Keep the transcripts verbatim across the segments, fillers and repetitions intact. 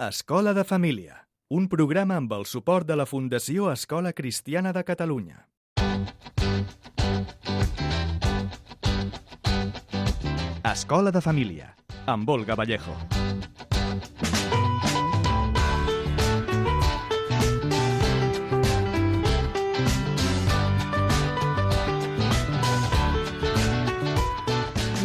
Escola de Família, un programa amb el suport de la Fundació Escola Cristiana de Catalunya. Escola de Família, amb Olga Vallejo.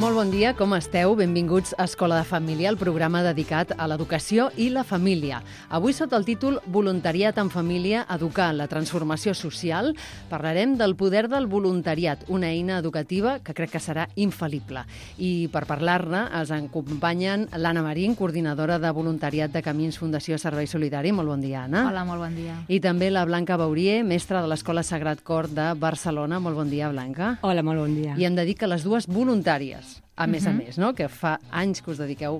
Molt bon dia, com esteu? Benvinguts a Escola de Família, el programa dedicat a l'educació i la família. Avui, sota el títol Voluntariat en família, educar la transformació social, parlarem del poder del voluntariat, una eina educativa que crec que serà infal·lible. I per parlar-ne ens acompanyen l'Anna Marín, coordinadora de voluntariat de Camins Fundació Servei Solidari. Molt bon dia, Anna. Hola, molt bon dia. I també la Blanca Baurier, mestra de l'Escola Sagrat Cor de Barcelona. Molt bon dia, Blanca. Hola, molt bon dia. I hem de dir que les dues voluntàries, a més uh-huh. a més, no? Que fa anys que us dediqueu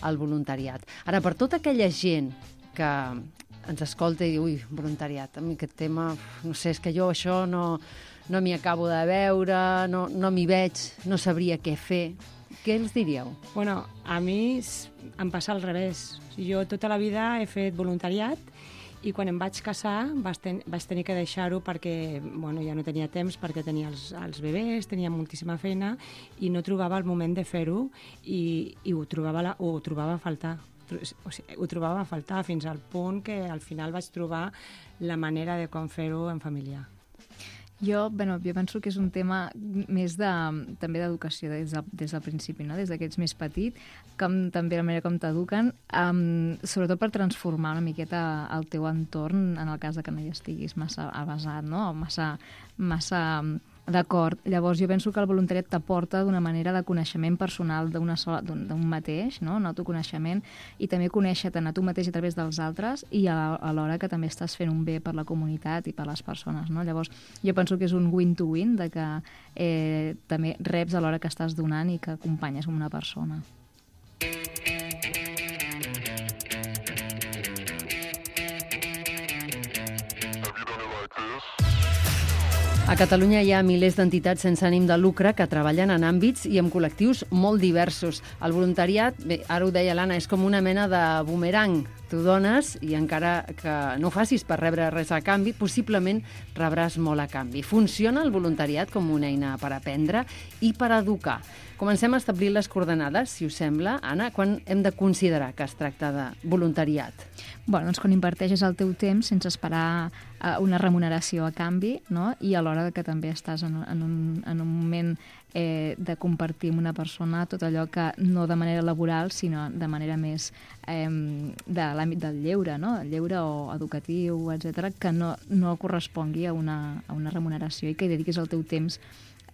al voluntariat. Ara, per tota aquella gent que ens escolta i diu, ui, voluntariat, a mi aquest tema, no sé, és que jo això no, no m'hi acabo de veure, no, no m'hi veig, no sabria què fer. Què els diríeu? Bueno, a mi em passa al revés. Jo tota la vida he fet voluntariat i quan em vaig casar vaig, ten vaig tenir que deixar-ho perquè bueno, ja no tenia temps, perquè tenia els, els bebès, tenia moltíssima feina i no trobava el moment de fer-ho i, i ho, trobava la, ho trobava a faltar. O sigui, ho trobava a faltar fins al punt que al final vaig trobar la manera de com fer-ho en família. Jo, bueno, jo penso que és un tema més de, també d'educació des, de, des del principi, no? Des que ets més petit, com també la manera com t'eduquen, um, sobretot per transformar una miqueta el teu entorn en el cas de que no hi estiguis massa avasat, no? Massa, massa d'acord. Llavors, jo penso que el voluntariat t'aporta d'una manera de coneixement personal d'un mateix, no? Un autoconeixement, i també conèixer-te'n a tu mateix a través dels altres i alhora que també estàs fent un bé per la comunitat i per les persones, no? Llavors, jo penso que és un win-to-win, de que eh, també reps a l'hora que estàs donant i que acompanyes una persona. A Catalunya hi ha milers d'entitats sense ànim de lucre que treballen en àmbits i amb col·lectius molt diversos. El voluntariat, bé, ara ho deia l'Anna, és com una mena de bumerang. Tu dones i encara que no ho facis per rebre res a canvi, possiblement rebràs molt a canvi. Funciona el voluntariat com una eina per aprendre i per educar. Comencem a establir les coordenades, si us sembla. Anna, quan hem de considerar que es tracta de voluntariat? Bueno, doncs quan inverteixes el teu temps sense esperar uh, una remuneració a canvi, no? I alhora que també estàs en, en, un, en un moment eh, de compartir amb una persona tot allò que no de manera laboral, sinó de manera més eh, de l'àmbit del lleure, no? El lleure o educatiu, etcètera, que no, no correspongui a una, a una remuneració i que hi dediquis el teu temps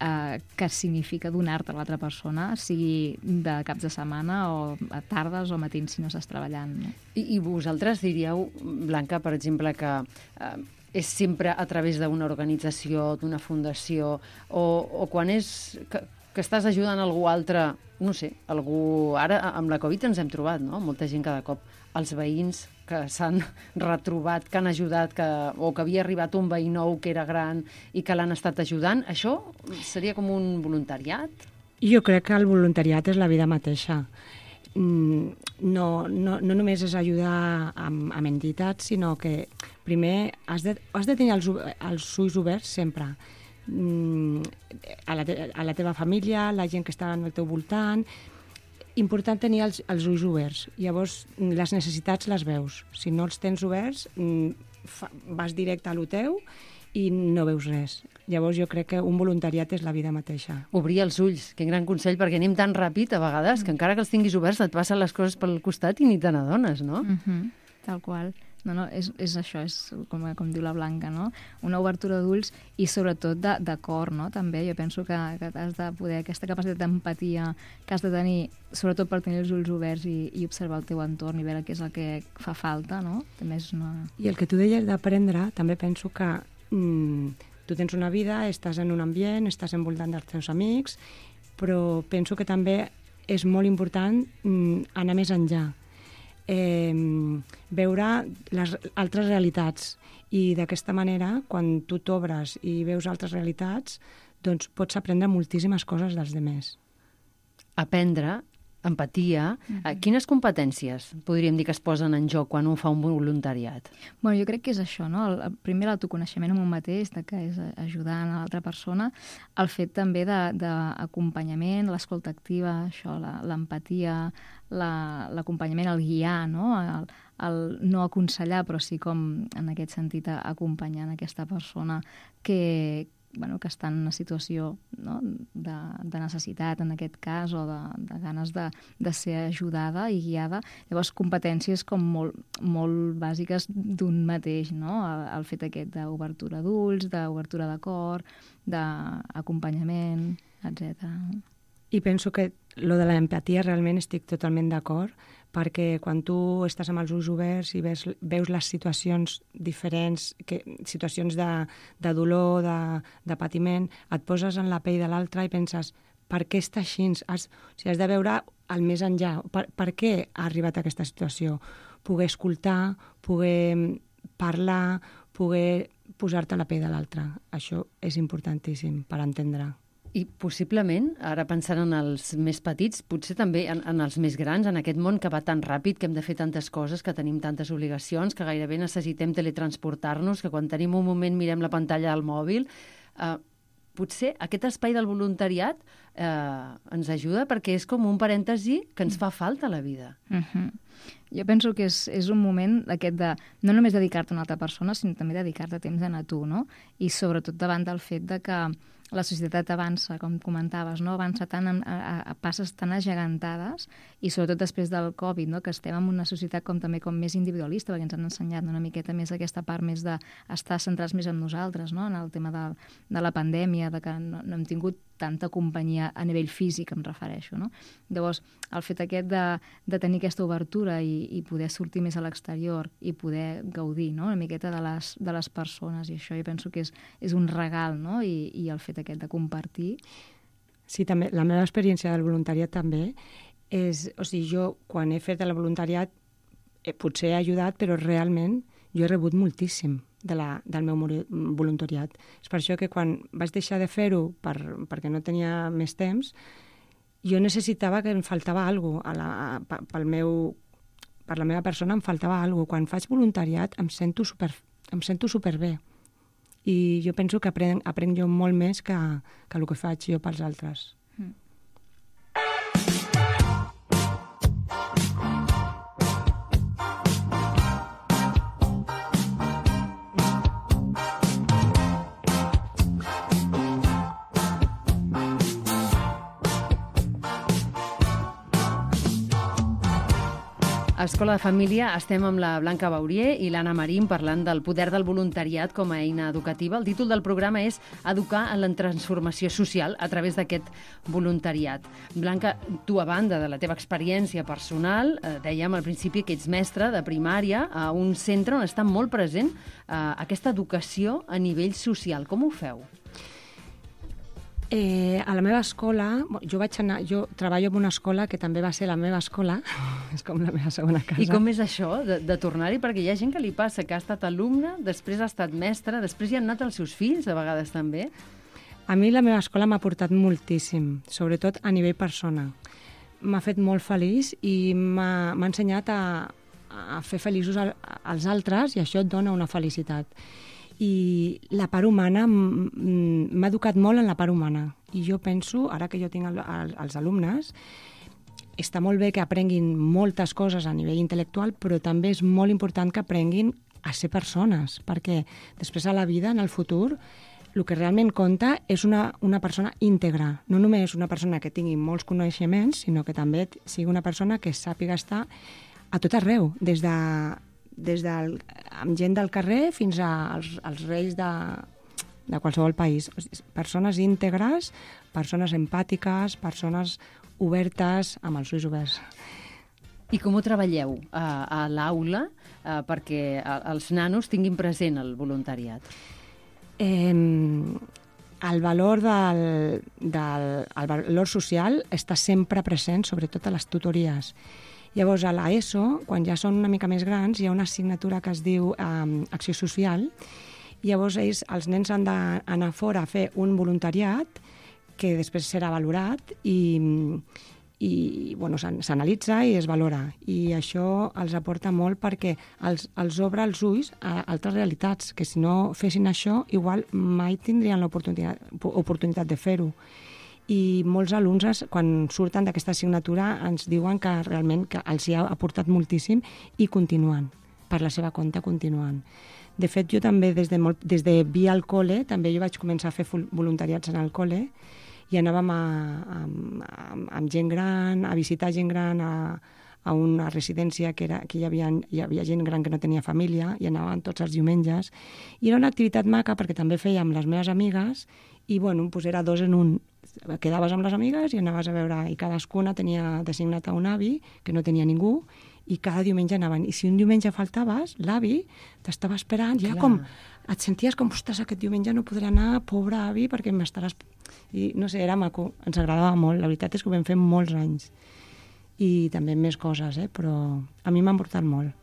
eh, que significa donar-te a l'altra persona, sigui de caps de setmana o a tardes o matins si no estàs treballant. No? I, I vosaltres diríeu, Blanca, per exemple, que eh, és sempre a través d'una organització, d'una fundació, o, o quan és que, que estàs ajudant algú altre, no sé, algú... Ara, amb la Covid ens hem trobat, no? Molta gent cada cop, els veïns que s'han retrobat, que han ajudat, que, o que havia arribat un veí nou que era gran i que l'han estat ajudant. Això seria com un voluntariat? Jo crec que el voluntariat és la vida mateixa. No, no, no només és ajudar amb, amb entitats, sinó que primer has de, has de tenir els, els ulls oberts sempre. A la, te, a la teva família, la gent que està al teu voltant. Important tenir els, els ulls oberts. Llavors, les necessitats les veus. Si no els tens oberts, fa, vas directe a lo teu i no veus res. Llavors jo crec que un voluntariat és la vida mateixa. Obrir els ulls, quin gran consell, perquè anem tan ràpid a vegades que encara que els tinguis oberts et passen les coses pel costat i ni te n'adones, no? Mm-hmm. Tal qual. No, no, és, és això, és com, com diu la Blanca, no? Una obertura d'ulls i sobretot de, de cor, no? També jo penso que, que has de poder, aquesta capacitat d'empatia que has de tenir, sobretot per tenir els ulls oberts i, i observar el teu entorn i veure què és el que fa falta, no? També és una... I el que tu deies d'aprendre, també penso que mm, tu tens una vida, estàs en un ambient, estàs envoltant dels teus amics, però penso que també és molt important mm, anar més enllà. Eh, veure les altres realitats i d'aquesta manera, quan tu t'obres i veus altres realitats, doncs pots aprendre moltíssimes coses dels demés. Aprendre empatia. Uh-huh. Quines competències podríem dir que es posen en joc quan un fa un voluntariat? Bueno, jo crec que és això, no? El, el primer, l'autoconeixement en un mateix, de que és ajudar a l'altra persona, el fet també d'acompanyament, l'escolta activa, això, l'empatia, l'acompanyament, el guiar, no? El, el no aconsellar, però sí com, en aquest sentit, acompanyant aquesta persona que, bueno, que està en una situació, no? de, de necessitat, en aquest cas, o de, de ganes de, de ser ajudada i guiada. Llavors, competències com molt, molt bàsiques d'un mateix, no? El, el fet aquest d'obertura d'ulls, d'obertura de cor, d'acompanyament, etcètera. I penso que lo de l'empatia realment estic totalment d'acord, perquè quan tu estàs amb els ulls oberts i veus, veus les situacions diferents, que, situacions de, de dolor, de, de patiment, et poses en la pell de l'altre i penses, per què està així? Has, o sigui, has de veure el més enllà. Per, per què ha arribat a aquesta situació? Poder escoltar, poder parlar, poder posar-te a la pell de l'altre. Això és importantíssim per entendre. I possiblement, ara pensant en els més petits, potser també en, en els més grans, en aquest món que va tan ràpid, que hem de fer tantes coses, que tenim tantes obligacions, que gairebé necessitem teletransportar-nos, que quan tenim un moment mirem la pantalla del mòbil. Eh, potser aquest espai del voluntariat eh, ens ajuda perquè és com un parèntesi que ens fa falta a la vida. Uh-huh. Jo penso que és, és un moment aquest de no només dedicar-te a una altra persona, sinó també dedicar-te temps a tu, no? I sobretot davant del fet de que la societat avança, com comentaves, no? Avança tant a, a, a passes tan agegantades i sobretot després del Covid, no? Que estem en una societat com també com més individualista, perquè ens han ensenyat una miqueta més aquesta part més d'estar centrats més en nosaltres, no? En el tema de, de la pandèmia, de que no, no hem tingut tanta companyia a nivell físic, em refereixo, no? Llavors, el fet aquest de, de tenir aquesta obertura i, i poder sortir més a l'exterior i poder gaudir, no? Una miqueta de les, de les persones, i això jo penso que és, és un regal, no? I, i el fet aquest de compartir. Sí, també. La meva experiència del voluntariat també és... O sigui, jo, quan he fet el voluntariat, eh, potser he ajudat, però realment jo he rebut moltíssim de la, del meu voluntariat. És per això que quan vaig deixar de fer-ho per, perquè no tenia més temps, jo necessitava que em faltava alguna cosa. Pel meu, per la meva persona em faltava alguna cosa. Quan faig voluntariat em sento super, em sento superbé. I jo penso que aprenc, aprenc jo molt més que, que el que faig jo pels altres. Mm. A Escola de Família estem amb la Blanca Baurier i l'Anna Marín parlant del poder del voluntariat com a eina educativa. El títol del programa és Educar en la transformació social a través d'aquest voluntariat. Blanca, tu, a banda de la teva experiència personal, eh, dèiem al principi que ets mestra de primària a un centre on està molt present eh, aquesta educació a nivell social. Com ho feu? Eh, a la meva escola, jo vaig anar, jo treballo en una escola que també va ser la meva escola, és com la meva segona casa. I com és això, de, de tornar-hi? Perquè hi ha gent que li passa, que ha estat alumne, després ha estat mestra, després hi han anat els seus fills, a vegades també. A mi la meva escola m'ha portat moltíssim, sobretot a nivell persona. M'ha fet molt feliç i m'ha ensenyat a, a fer feliços als altres i això et dona una felicitat. I la part humana, m'ha educat molt en la part humana. I jo penso, ara que jo tinc el, el, els alumnes, està molt bé que aprenguin moltes coses a nivell intel·lectual, però també és molt important que aprenguin a ser persones, perquè després a la vida, en el futur, el que realment compta és una, una persona íntegra. No només una persona que tingui molts coneixements, sinó que també sigui una persona que sàpiga estar a tot arreu, des de... des del, amb gent del carrer fins als, als reis de, de qualsevol país. Persones íntegres, persones empàtiques, persones obertes, amb els ulls oberts. I com ho treballeu a, a l'aula eh, perquè els nanos tinguin present el voluntariat? Eh, el valor del, del el valor social està sempre present, sobretot a les tutories. Llavors, a l'ESO, quan ja són una mica més grans, hi ha una assignatura que es diu eh, Acció Social. Llavors, ells, els nens han d'anar fora a fer un voluntariat que després serà valorat i, i bueno, s'analitza i es valora. I això els aporta molt perquè els, els obre els ulls a altres realitats, que si no fessin això, igual mai tindrien l'oportunitat oportunitat de fer-ho. I molts alumnes, quan surten d'aquesta assignatura, ens diuen que realment que els hi ha aportat moltíssim i continuen, per la seva compte continuen. De fet, jo també, des de, molt, des de via al col·le, també jo vaig començar a fer voluntariats en el col·le i anàvem a, a, a, amb gent gran, a visitar gent gran a, a una residència que, era, que hi, havia, hi havia gent gran que no tenia família i anàvem tots els diumenges. I era una activitat maca perquè també feia amb les meves amigues i, bueno, doncs era dos en un. Quedaves amb les amigues i anaves a veure, i cadascuna tenia designat a un avi que no tenia ningú, i cada diumenge anaven. I si un diumenge faltaves, l'avi t'estava esperant, ja Clar. com et senties com, ostres, aquest diumenge no podré anar, pobre avi, perquè m'estaràs... I no sé, era maco, ens agradava molt, la veritat és que ho vam fer molts anys. I també més coses, eh? Però a mi m'ha portat molt.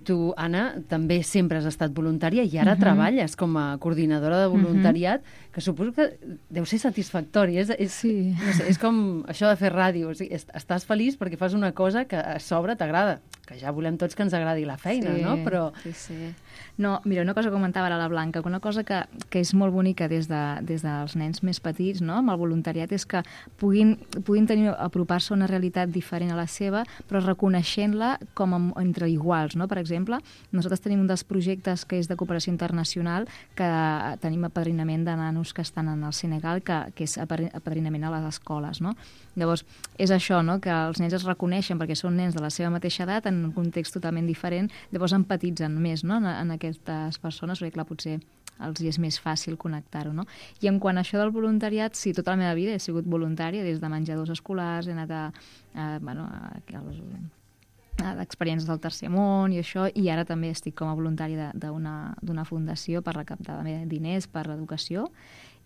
Tu, Anna, també sempre has estat voluntària i ara uh -huh. treballes com a coordinadora de voluntariat, uh -huh. que suposo que deu ser satisfactori. És, és, sí. no sé, és com això de fer ràdio. O sigui, estàs feliç perquè fas una cosa que a sobre t'agrada. Que ja volem tots que ens agradi la feina, sí, no? Però... Sí, sí. No, mira, una cosa que comentava ara la Blanca, una cosa que, que és molt bonica des, de, des dels nens més petits, no?, amb el voluntariat, és que puguin, puguin tenir, apropar-se a una realitat diferent a la seva, però reconeixent-la com a, entre iguals, no? Per exemple, nosaltres tenim un dels projectes que és de cooperació internacional, que tenim apadrinament de nanos que estan en el Senegal, que, que és apadrinament a les escoles, no? Llavors, és això, no?, que els nens es reconeixen perquè són nens de la seva mateixa edat, en un context totalment diferent, llavors empatitzen més, no?, en, en aquestes persones, perquè clar, potser els hi és més fàcil connectar-ho, no? I en quant a això del voluntariat, sí, tota la meva vida he sigut voluntària, des de menjadors escolars, he anat a, a, bueno, a, a d'experiències del tercer món i això, i ara també estic com a voluntària d'una fundació per recaptar diners per l'educació,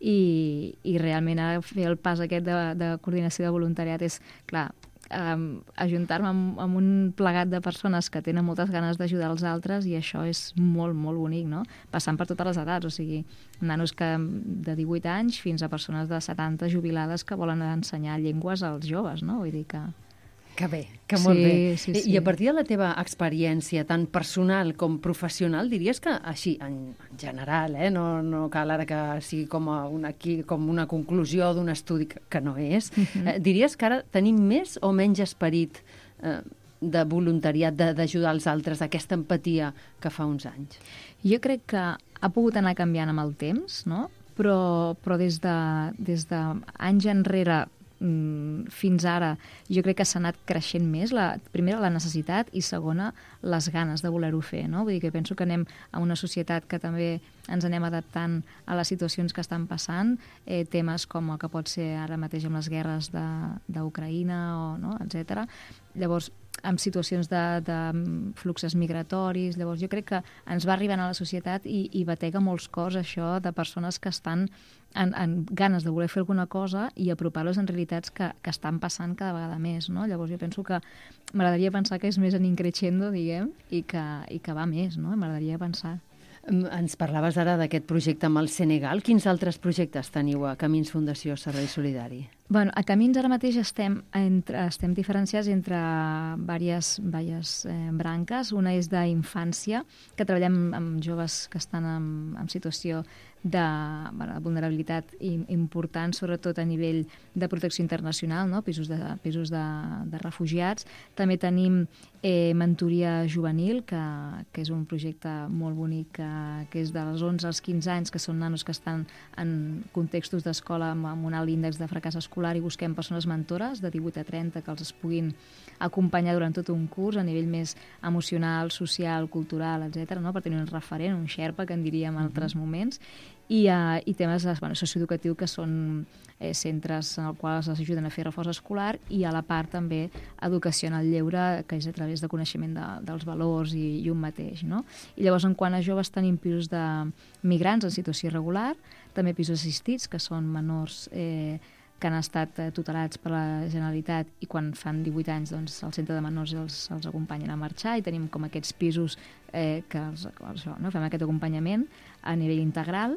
i, i realment ara fer el pas aquest de, de coordinació de voluntariat és, clar, Um, ajuntar-me amb, amb un plegat de persones que tenen moltes ganes d'ajudar els altres, i això és molt, molt bonic, no? Passant per totes les edats, o sigui, nanos que de divuit anys fins a persones de setanta jubilades que volen ensenyar llengües als joves, no? Vull dir que... Que bé, que molt sí, bé. Sí, sí. I a partir de la teva experiència, tant personal com professional, diries que, així, en general, eh, no, no cal ara que sigui com una, aquí, com una conclusió d'un estudi que, que no és, uh-huh. eh, diries que ara tenim més o menys esperit eh, de voluntariat, d'ajudar els altres, d'aquesta empatia que fa uns anys? Jo crec que ha pogut anar canviant amb el temps, no? Però, però des de, des de anys enrere fins ara jo crec que s'ha anat creixent més, la, primera la necessitat i segona les ganes de voler-ho fer, no? Vull dir que penso que anem a una societat que també ens anem adaptant a les situacions que estan passant, eh, temes com el que pot ser ara mateix amb les guerres d'Ucraïna, o, no? etcètera. Llavors, amb situacions de, de fluxes migratoris, llavors jo crec que ens va arribant a la societat i, i batega molts cors això de persones que estan en, en ganes de voler fer alguna cosa i apropar-los en realitats que, que estan passant cada vegada més, no? Llavors jo penso que m'agradaria pensar que és més en increixendo, diguem, i que, i que va més, no? M'agradaria pensar. Ens parlaves ara d'aquest projecte amb el Senegal. Quins altres projectes teniu a Camins Fundació Servei Solidari? Bueno, a Camins ara mateix estem, entre, estem diferenciats entre diverses, diverses eh, branques. Una és d'infància, que treballem amb joves que estan en, en situació de, bueno, de vulnerabilitat important, sobretot a nivell de protecció internacional, no? pisos, de, pisos de, de refugiats. També tenim eh, mentoria juvenil, que, que és un projecte molt bonic, que, que és dels onze als quinze anys, que són nanos que estan en contextos d'escola amb, amb un alt índex de fracàs escolar, i busquem persones mentores de divuit a trenta que els puguin acompanyar durant tot un curs a nivell més emocional, social, cultural, etcètera, no? Per tenir un referent, un xerpa, que en diríem en altres moments, i, uh, i temes bueno, socioeducatius, que són eh, centres en els quals es ajuden a fer reforç escolar, i a la part també educació en el lleure, que és a través de coneixement de, dels valors i, i un mateix, no? I llavors, en quant a joves, tenim pisos de migrants en situació irregular, també pisos assistits, que són menors eh, que han estat tutelats per la Generalitat, i quan fan divuit anys doncs, el centre de menors els, els acompanyen a marxar, i tenim com aquests pisos eh, que els, això, no? Fem aquest acompanyament a nivell integral.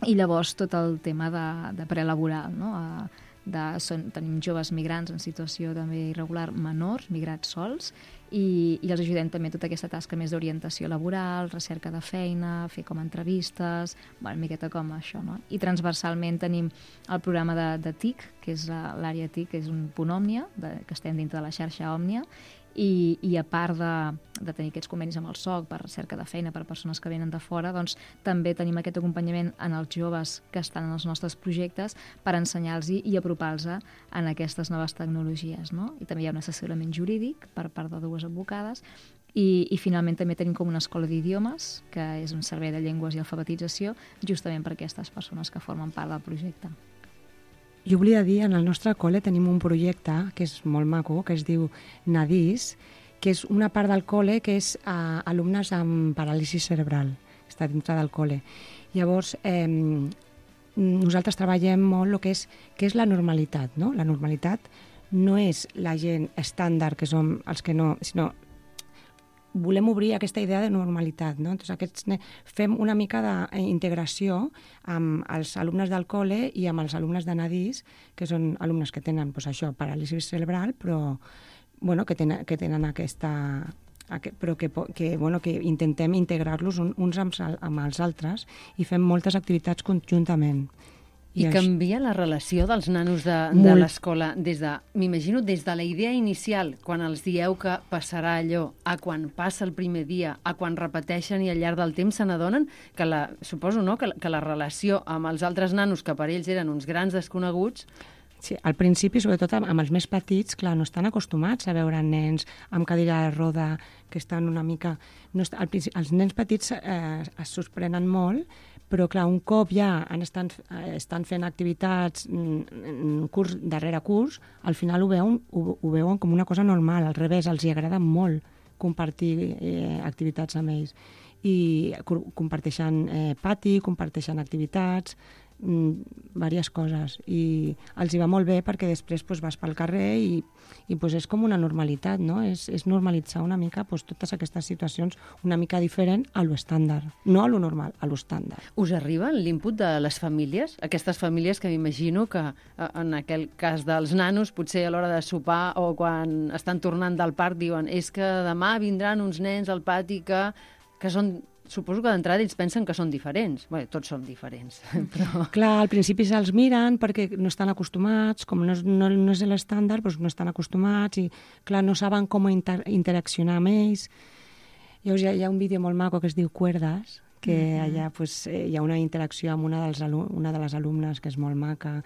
I llavors tot el tema de, de prelaboral, no? A, de, són, tenim joves migrants en situació també irregular, menors, migrats sols, i, i els ajudem també tota aquesta tasca més d'orientació laboral, recerca de feina, fer com entrevistes, bueno, una miqueta com això, no? I transversalment tenim el programa de, de T I C, que és l'àrea T I C, que és un punt Òmnia, de, que estem dintre de la xarxa Òmnia, I, i a part de, de tenir aquests convenis amb el S O C per recerca de feina per a persones que venen de fora, doncs també tenim aquest acompanyament en els joves que estan en els nostres projectes per ensenyar-los i apropar-los en aquestes noves tecnologies, no? I també hi ha un assessorament jurídic per part de dues advocades i, i finalment també tenim com una escola d'idiomes, que és un servei de llengües i alfabetització, justament per a aquestes persones que formen part del projecte. Jo volia dir, en el nostre col·le tenim un projecte que és molt maco, que es diu Nadis, que és una part del col·le que és a alumnes amb paràlisi cerebral, que està dintre del col·le. Llavors, eh, nosaltres treballem molt el que és, que és la normalitat, no? La normalitat no és la gent estàndard, que som els que no, sinó volem obrir aquesta idea de normalitat, no? Entonces, aquests, fem una mica d'integració amb els alumnes del col·le i amb els alumnes de Nadis, que són alumnes que tenen pues, això, paràlisi cerebral, però bueno, que, tenen, que tenen aquesta... però que, que, bueno, que intentem integrar-los uns amb, amb els altres i fem moltes activitats conjuntament. I, I canvia la relació dels nanos de, de l'escola des de, m'imagino, des de la idea inicial, quan els dieu que passarà allò, a quan passa el primer dia, a quan repeteixen i al llarg del temps se n'adonen que la, suposo, no?, que, que la relació amb els altres nanos, que per ells eren uns grans desconeguts. Sí, al principi, sobretot amb els més petits, clar, no estan acostumats a veure nens amb cadira de roda, que estan una mica... No est... al principi, els nens petits eh, es sorprenen molt, però clar, un cop ja han estan, estan fent activitats curs darrere curs, al final ho veuen, ho, ho veuen com una cosa normal, al revés, els hi agrada molt compartir eh, activitats amb ells. I comparteixen eh, pati, comparteixen activitats, diverses coses, i els hi va molt bé perquè després pues, vas pel carrer i, i pues, és com una normalitat, no? És, és normalitzar una mica pues, totes aquestes situacions una mica diferent a lo estàndard, no a lo normal, a lo estàndard. Us arriba l'input de les famílies? Aquestes famílies que m'imagino que en aquell cas dels nanos potser a l'hora de sopar o quan estan tornant del parc diuen és que demà vindran uns nens al pati que, que són... Suposo que d'entrada ells pensen que són diferents. Bé, tots som diferents, però... Clar, al principi se'ls miren perquè no estan acostumats, com no és, no, no és l'estàndard, doncs no estan acostumats i, clar, no saben com inter interaccionar amb ells. Llavors hi ha, hi ha un vídeo molt maco que es diu Cuerdas, que mm-hmm. allà pues, hi ha una interacció amb una, dels una de les alumnes que és molt maca.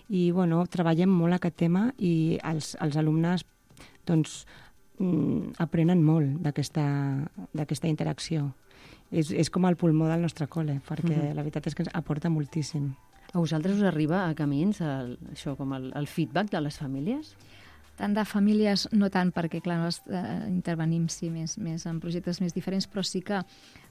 I, bueno, treballem molt aquest tema i els, els alumnes, doncs, aprenen molt d'aquesta interacció. És, és com el pulmó del nostre col·le, perquè mm-hmm. la veritat és que ens aporta moltíssim. A vosaltres us arriba a camins el, això, com el, el feedback de les famílies? Tant de famílies, no tant, perquè, clar, no eh, intervenim sí, més, més en projectes més diferents, però sí que,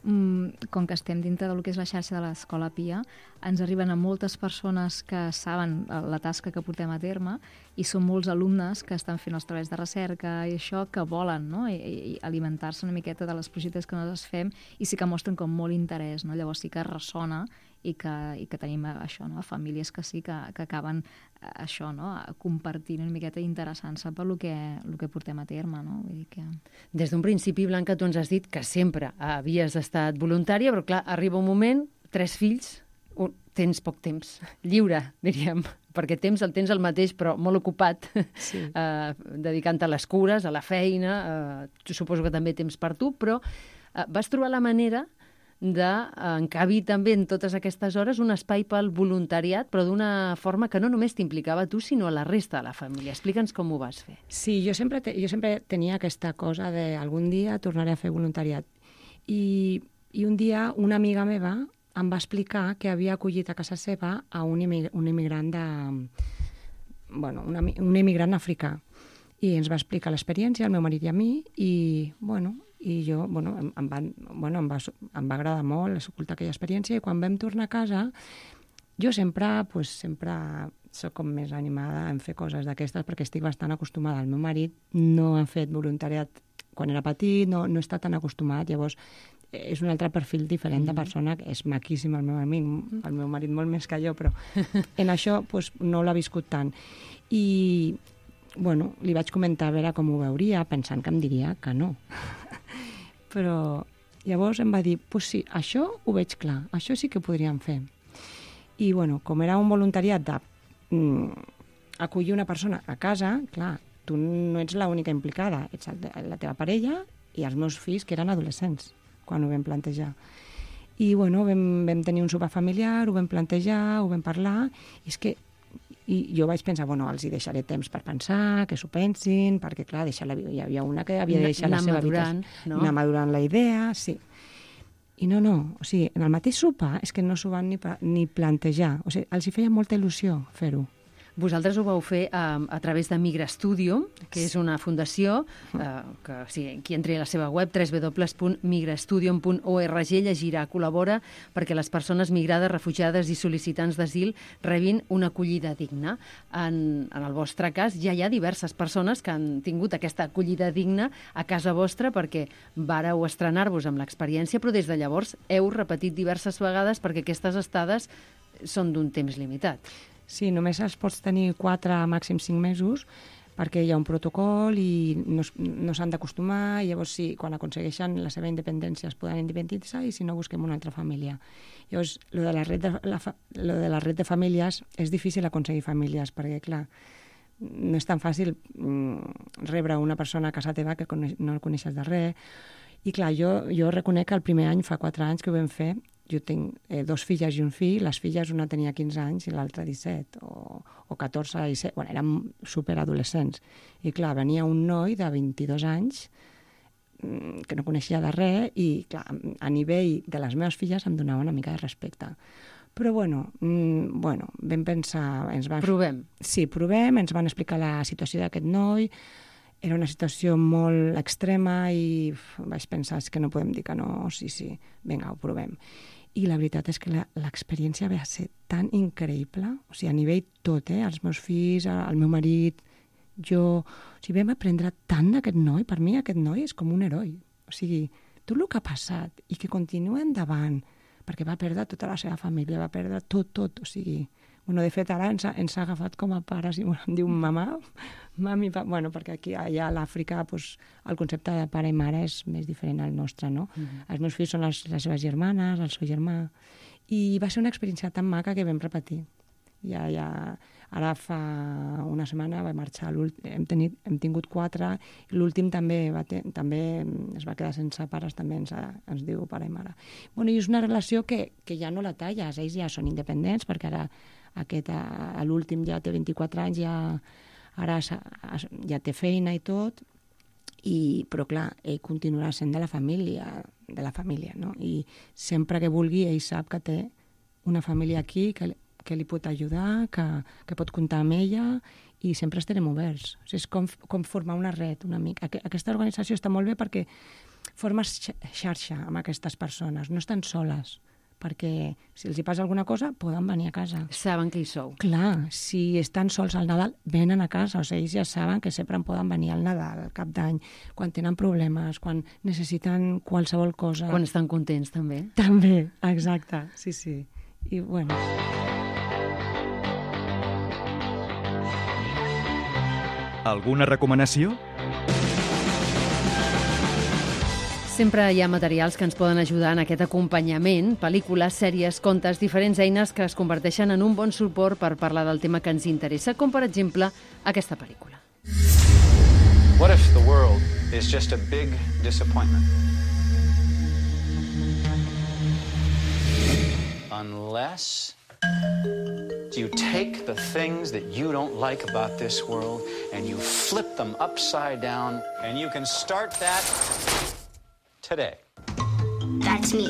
mm, com que estem dintre del que és la xarxa de l'Escola Pia, ens arriben a moltes persones que saben la tasca que portem a terme i són molts alumnes que estan fent els treballs de recerca i això, que volen, no?, I, i alimentar-se una miqueta de les projectes que nosaltres fem i sí que mostren com molt interès, no? Llavors sí que ressona i que, i que tenim això, no?, famílies que sí que, que acaben això, no?, compartint una miqueta interessant-se per lo que, lo que portem a terme, no? Vull dir que... Des d'un principi, Blanca, tu ens has dit que sempre havies estat voluntària, però clar, arriba un moment, tres fills, un, tens poc temps, lliure, diríem, perquè temps el tens el mateix, però molt ocupat, sí. eh, dedicant-te a les cures, a la feina, eh, suposo que també temps per tu, però eh, vas trobar la manera d'encabir també en totes aquestes hores un espai pel voluntariat, però d'una forma que no només t'implicava tu, sinó a la resta de la família. Explica'ns com ho vas fer. Sí, jo sempre, te, jo sempre tenia aquesta cosa de algun dia tornaré a fer voluntariat. I, i un dia una amiga meva em va explicar que havia acollit a casa seva a un, imig, un immigrant de... Bueno, un, un immigrant africà. I ens va explicar l'experiència, al meu marit i a mi, i, bueno... i jo, bueno, em, em, va, bueno, em, va, em va agradar molt escoltar aquella experiència i quan vam tornar a casa jo sempre, pues, sempre soc com més animada en fer coses d'aquestes perquè estic bastant acostumada. El meu marit no ha fet voluntariat quan era petit, no, no està tan acostumat, llavors és un altre perfil diferent de persona, que és maquíssim el meu amic, el meu marit molt més que jo, però en això pues, no l'ha viscut tant. I, bueno, li vaig comentar a veure com ho veuria, pensant que em diria que no. Però llavors em va dir, pues sí, això ho veig clar, això sí que podríem fer. I, bueno, com era un voluntariat de mm, acollir una persona a casa, clar, tu no ets l'única implicada, ets la teva parella i els meus fills, que eren adolescents, quan ho vam plantejar. I, bueno, vam, vam tenir un sopar familiar, ho vam plantejar, ho vam parlar, i és que i jo vaig pensar, bueno, els hi deixaré temps per pensar, que s'ho pensin, perquè, clar, deixar la, hi havia una que havia de deixar la seva madurant, habitació. no? Anar madurant la idea, sí. I no, no, o sigui, en el mateix sopar és que no s'ho van ni, ni plantejar. O sigui, els hi feia molta il·lusió fer-ho. Vosaltres ho vau fer a, a través de Migra Studio, que és una fundació eh, que, si qui entri a la seva web, w w w punt migrastudium punt org, llegirà, col·labora perquè les persones migrades, refugiades i sol·licitants d'asil rebin una acollida digna. En, en el vostre cas, ja hi ha diverses persones que han tingut aquesta acollida digna a casa vostra perquè vareu estrenar-vos amb l'experiència, però des de llavors heu repetit diverses vegades perquè aquestes estades són d'un temps limitat. Sí, només els pots tenir quatre, màxim cinc mesos, perquè hi ha un protocol i no, no s'han d'acostumar, i llavors sí, quan aconsegueixen la seva independència es poden independitzar i si no busquem una altra família. Llavors, lo de la red de, la, lo de la red de famílies és difícil aconseguir famílies, perquè, clar, no és tan fàcil mm, rebre una persona a casa teva que no el coneixes de res. I, clar, jo, jo reconec que el primer any, fa quatre anys que ho vam fer, jo tinc eh, dos filles i un fill, les filles una tenia quinze anys i l'altra disset, o, o catorze i set, bueno, érem superadolescents. I clar, venia un noi de vint-i-dos anys mmm, que no coneixia de res i clar, a nivell de les meves filles em donava una mica de respecte. Però bueno, mmm, bueno vam pensar... Ens van... Provem. Sí, provem, ens van explicar la situació d'aquest noi. Era una situació molt extrema i uf, vaig pensar, és que no podem dir que no, sí, sí, vinga, ho provem. I la veritat és que l'experiència va ser tan increïble, o sigui, a nivell tot, eh? Els meus fills, el meu marit, jo... O sigui, vam aprendre tant d'aquest noi, per mi aquest noi és com un heroi. O sigui, tot el que ha passat i que continua endavant, perquè va perdre tota la seva família, va perdre tot, tot, o sigui... Bueno, de fet, ara ens ha, ens ha agafat com a pares i bueno, em diu mamà, mami, pa... bueno, perquè aquí allà a l'Àfrica pues, el concepte de pare i mare és més diferent al nostre, no? Mm-hmm. Els meus fills són les, les seves germanes, el seu germà, i va ser una experiència tan maca que vam repetir. Ja, ja, ara fa una setmana va marxar, hem, tenit, hem tingut quatre, i l'últim també, va te... també es va quedar sense pares, també ens, ens diu pare i mare. Bueno, i és una relació que, que ja no la talles, ells ja són independents, perquè ara aquest, a l'últim ja té vint-i-quatre anys, ja, ara ja té feina i tot, i, però clar, ell continuarà sent de la família, de la família, no? I sempre que vulgui, ell sap que té una família aquí, que, que li pot ajudar, que, que pot comptar amb ella, i sempre estarem oberts. O sigui, és com, com formar una red, una mica. Aquesta organització està molt bé perquè formes xarxa amb aquestes persones, no estan soles, perquè si els hi passa alguna cosa poden venir a casa. Saben que hi sou. Clar, si estan sols al Nadal, venen a casa. O sigui, ells ja saben que sempre en poden venir al Nadal, al cap d'any, quan tenen problemes, quan necessiten qualsevol cosa. Quan estan contents, també. També, exacte, sí, sí. I, bueno... Alguna recomanació? Sempre hi ha materials que ens poden ajudar en aquest acompanyament, pel·lícules, sèries, contes, diferents eines que es converteixen en un bon suport per parlar del tema que ens interessa, com per exemple aquesta pel·lícula. What if the world is just a big disappointment? Unless you take the things that you don't like about this world and you flip them upside down, and you can start that today. That that's me.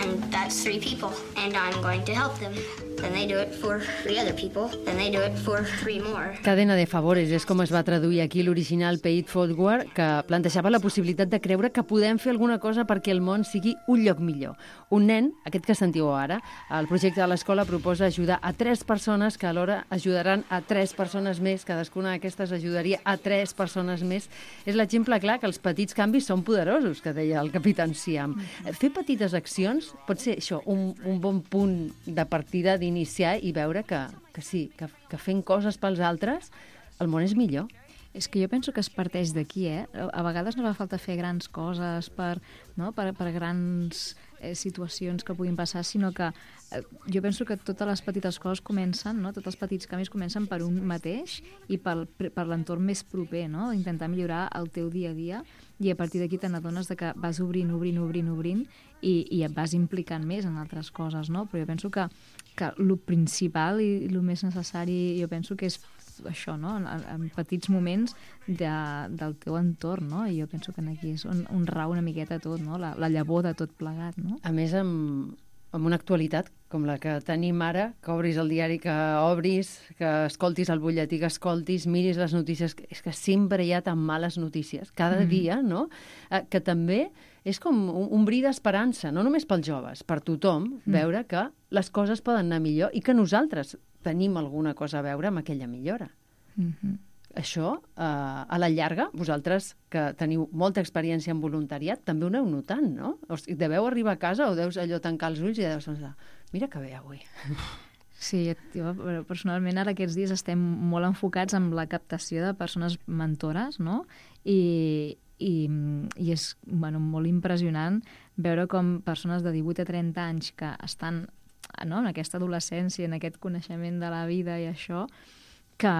And that's three people. And I'm going to help them. Then they do it for three other people. Then they do it for three more. Cadena de favores és com es va traduir aquí l'original Pay It Forward, que plantejava la possibilitat de creure que podem fer alguna cosa perquè el món sigui un lloc millor. Un nen, aquest que sentiu ara, el projecte de l'escola proposa ajudar a tres persones que alhora ajudaran a tres persones més. Cadascuna d'aquestes ajudaria a tres persones més. És l'exemple clar que els petits canvis són poderosos, que deia el Capitán Siam. Fer petites accions pot ser això, un, un bon punt de partida d'iniciar i veure que, que sí, que, que fent coses pels altres el món és millor. És que jo penso que es parteix d'aquí, eh? A vegades no fa falta fer grans coses per, no? per, per grans eh, situacions que puguin passar, sinó que eh, jo penso que totes les petites coses comencen, no? Tots els petits canvis comencen per un mateix i per, per l'entorn més proper, no? Intentar millorar el teu dia a dia, i a partir d'aquí te n'adones de que vas obrint, obrint, obrint, obrint i, i et vas implicant més en altres coses, no? Però jo penso que, que el principal i el més necessari, jo penso que és això, no? En, en petits moments de, del teu entorn, no? I jo penso que aquí és on, on rau una miqueta tot, no? La, la llavor de tot plegat, no? A més, amb, amb una actualitat com la que tenim ara, que obris el diari que obris, que escoltis el butlletí que escoltis, miris les notícies, és que sempre hi ha tan males notícies, cada mm. dia, no? Eh, que també és com un, un bri d'esperança, no només pels joves, per tothom, mm. veure que les coses poden anar millor i que nosaltres tenim alguna cosa a veure amb aquella millora. Mm-hmm. Això, eh, a la llarga, vosaltres que teniu molta experiència en voluntariat, també ho aneu notant, no? O sigui, deveu arribar a casa o deus allò tancar els ulls i deus pensar, mira que bé avui. Sí, jo personalment ara aquests dies estem molt enfocats en la captació de persones mentores, no? I, i, i és bueno, molt impressionant veure com persones de divuit a trenta anys que estan, no?, en aquesta adolescència, en aquest coneixement de la vida i això, que,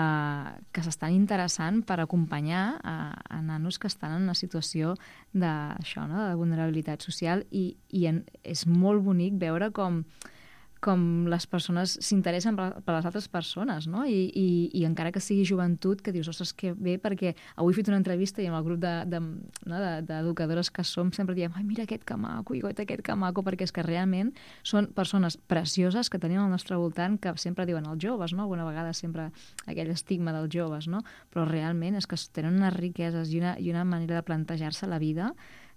que s'estan interessant per acompanyar a, a nanos que estan en una situació de, això, no?, de vulnerabilitat social, i, i en, és molt bonic veure com, com les persones s'interessen per, per les altres persones, no? I, i, i encara que sigui joventut, que dius, ostres, que bé, perquè avui he fet una entrevista i amb el grup d'educadores de, de, no, de, que som sempre diem, ai, mira aquest que maco, i goita aquest que maco, perquè és que realment són persones precioses que tenim al nostre voltant, que sempre diuen els joves, no? Alguna vegada sempre aquell estigma dels joves, no? Però realment és que tenen unes riqueses i una, i una manera de plantejar-se la vida